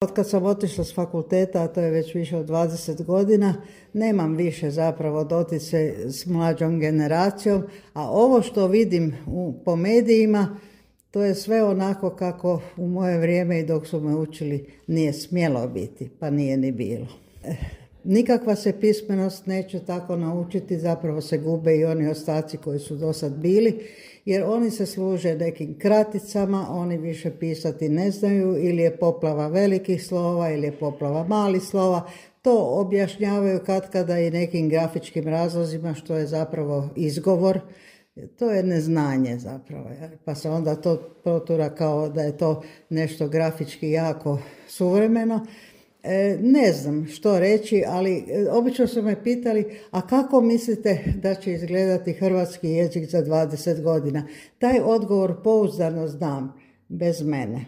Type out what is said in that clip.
Od kad sam otišla s fakulteta, a to je već više od 20 godina, nemam više zapravo dotice s mlađom generacijom, a ovo što vidim po medijima, to je sve onako kako u moje vrijeme i dok su me učili nije smjelo biti, pa nije ni bilo. Nikakva se pismenost neće tako naučiti, zapravo se gube i oni ostaci koji su do sad bili, jer oni se služe nekim kraticama, oni više pisati ne znaju, ili je poplava velikih slova, ili je poplava malih slova. To objašnjavaju katkada i nekim grafičkim razlozima, što je zapravo izgovor. To je neznanje zapravo, pa se onda to protura kao da je to nešto grafički jako suvremeno. Ne znam što reći, ali obično su me pitali, a kako mislite da će izgledati hrvatski jezik za 20 godina? Taj odgovor pouzdano znam, bez mene.